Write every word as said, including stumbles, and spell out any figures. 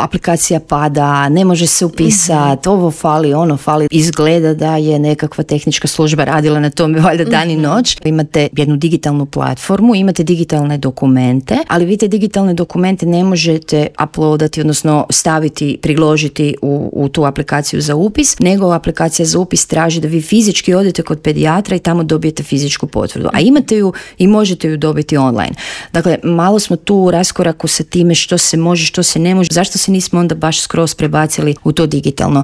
aplikacija pada, ne može se upisati, mm-hmm. ovo fali, ono fali. Izgleda da je nekakva tehnička služba radila na tome valjda dan i noć. Imate jednu digitalnu platformu, imate digitalne dokumente, ali vi te digitalne dokumente ne možete uploadati, odnosno staviti, priložiti u, u tu aplikaciju za upis, nego aplikacija za upis traži da vi fizički odete kod pedijatra i tamo dobijete fizičku potvrdu. A imate ju i možete ju dobiti online. Dakle, malo smo tu u raskoraku sa time što se može, što se ne može. Zašto se nismo onda baš skroz prebacili u to digitalno?